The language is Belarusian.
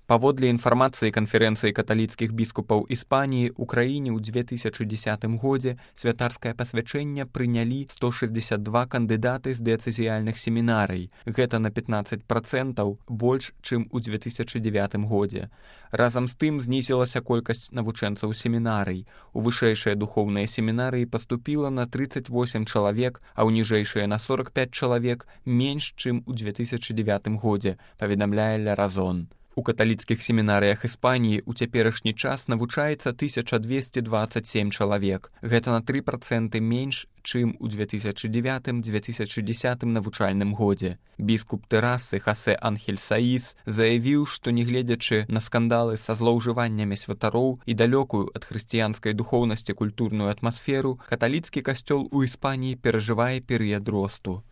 Паводле інфармацыі канферэнцыі каталіцкіх біскупаў Іспаніі, у краіне ў 2010 годзе святарскае пасвячэнне прынялі 162 кандыдаты з дыяцэзіяльных семінарый. Гэта на 15% больш, чым у 2009 годзе. Разам з тым знізілася колькасць навучэнцаў семінарый. У вышэйшыя духоўныя семінарыі паступіла на 38 чалавек, а ў ніжэйшыя на 45 чалавек менш, чым у 2009 годзе, паведамляе Ля Разон. У каталіцкіх семінарыях Іспаніі ў цяперашні час навучаецца 1227 чалавек. Гэта на 3% менш, чым у 2009-2010 навучальным годзе. Біскуп Тэрасы Хосе Анхель Саіс заявіў, што нягледзячы на скандалы са злоўжываннямі святароў і далёкую ад хрысціянскай духоўнасці культурную атмасферу, каталіцкі касцёл у Іспаніі перажывае перыяд росту.